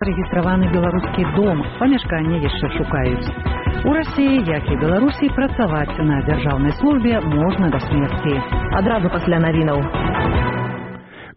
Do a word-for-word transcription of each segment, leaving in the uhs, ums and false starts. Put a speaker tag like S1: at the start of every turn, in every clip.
S1: Рэгістраваны беларускі дом, памяшканне яшчэ шукаюць. У Расіі, як і Беларусі, працаваць на дзяржаўнай службе можна да смерці.
S2: Адразу пасля навінаў.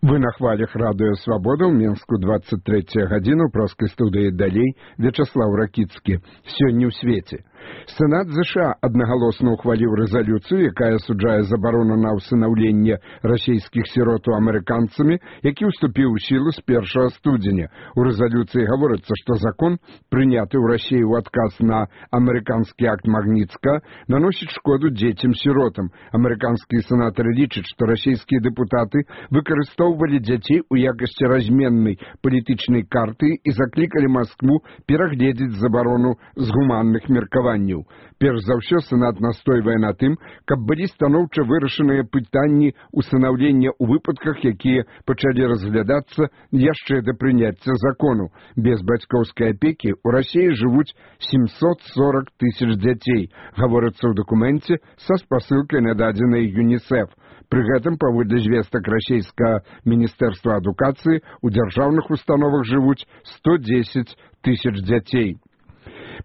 S3: Вы на хвалях радыё «Свабода» ў Менску двадцать третья гадзіна, ў проскай студыі далей Вячаслаў Ракіцкі. Сёння ў свеце. Сенат ЗША аднагалосна ухваліў рэзалюцыю, якая асуджае забарону на ўсынаўленне расійскіх сіротаў амерыканцамі, які ўступіў у сілу з першага студзеня. У рэзалюцыі гаворыцца, што закон, прыняты ў Расіі ў адказ на амерыканскі акт Магніцка, наносіць шкоду дзецям-сіротам. Амерыканскія сенатары лічаць, што расійскія дэпутаты выкарыстоўвалі дзяцей у якасці разменнай палітычнай карты і заклікалі Маскву перагледзець забарону з гуманных меркаванняў. Перш за ўсё, Сенат настойвае на тым, каб былі станоўча вырашаныя пытанні усынаўлення ў выпадках, якія пачалі разглядацца яшчэ да прыняцця закону. Без бацькоўскай апекі ў Расіі жывуць семьсот сорок тысяч дзяцей, гаворыцца ў дакуменце са спасылкай на дадзеныя ЮНІСЕФ. Пры гэтым, паводле звестак расійскага міністэрства адукацыі, у дзяржаўных установах жывуць сто дзесяць тысяч дзяцей.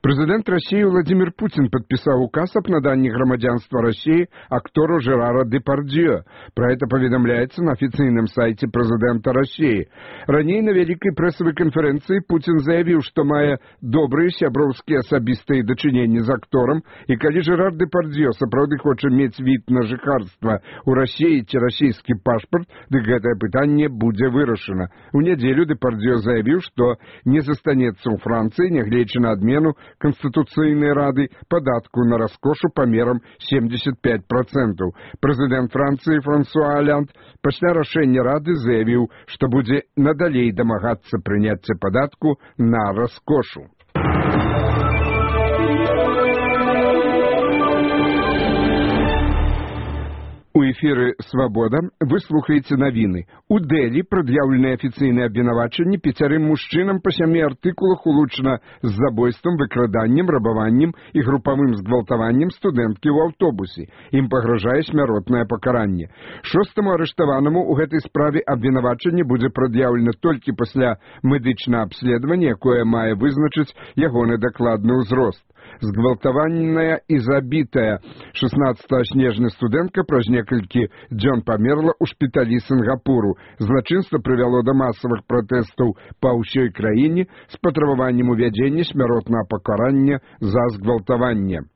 S3: Прэзідэнт Расіі Владзімір Пуцін падпісаў указ аб наданні грамадзянства Расіі актору Жерара Дэпардьё. Пра гэта паведамляецца на афіцыйным сайце прэзідэнта Расіі. Раней на вялікай прэсавай канферэнцыі Пуцін заявіў, што мае добрыя сяброўскія асабістыя дачыненні з акторам, і калі Жерар Дэпардьё сапраўды хоча мець від на жыхарства ў Расіі ці расійскі пашпарт, дык гэтае пытанне будзе вырашана. У нядзелю Дэпардьё заявіў, што не застанецца ў Францыі, нягледзячы на адмену Конституцыйнай рады падатку на раскошу памерам семьдесят пять процентов. Прэзідэнт Францыі Франсуа Аллянд пасля рашэння рады заявіў, што будзе надалей дамагацца прыняцця падатку на раскошу. У эфіры «Свабода» вы слухаеце навіны. У Дэлі прад'яўленыя афіцыйныя абвінавачанні пяцярым мужчынам па сямі артыкулах улучана з забойствам, выкраданнем, рабаваннем і групавым згвалтаваннем студэнткі ў аўтобусе. Ім пагражае смяротнае пакаранне. Шостаму арыштаванаму ў гэтай справе абвінавачанне будзе прад'яўлена толькі пасля медычнага абследавання, якое мае вызначыць ягоны дакладны ўзрост. Згвалтаваная і забітая шаснаццатага снежня студэнтка праз некалькі дзён памерла ў шпіталі Сінгапуру. Злачынства прывяло да масавых пратэстаў па ўсёй краіне з патрабаваннем увядзення смяротнага пакарання за згвалтаванне.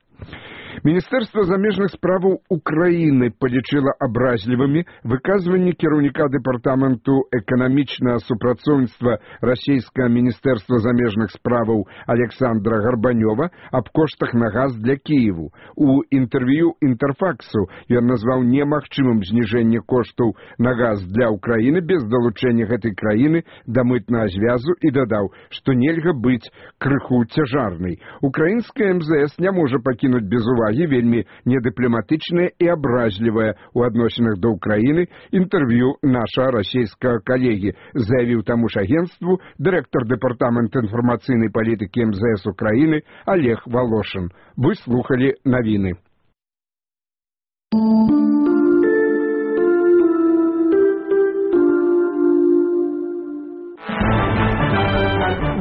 S3: Міністэрства замежных справаў Украіны палічыла абразлівымі выказванні кіраўніка дэпартаменту эканамічнага супрацоўніцтва расійскага міністэрства замежных справаў Александра Гарбанёва аб коштах на газ для Кіеву. У інтэрв'ю Інтэрфаксу ён назваў немагчымым зніжэнне коштаў на газ для Украіны без далучэння гэтай краіны да мытнага звязу і дадаў, што нельга быць крыху цяжарнай. Украінская эм зэ эс не можа пакінуць без увагі вельмі недыпламатычнае і абразлівае ў адносінах да Украіны інтэрв'ю нашага расійскага калегі, заявіў таму ж агенцтву дырэктар дэпартамента інфармацыйнай палітыкі эм зэ эс Украіны Олег Волошин. Вы слухалі навіны.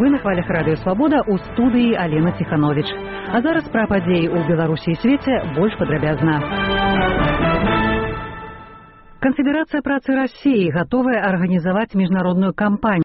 S1: Вы на хвалях радыё «Свабода» ў студыі Алена Ціхановіч. А зараз пра падзеі ў Беларусі і свеце больш падрабязна. Канфедэрацыя працы Расіі гатовая арганізаваць міжнародную кампанію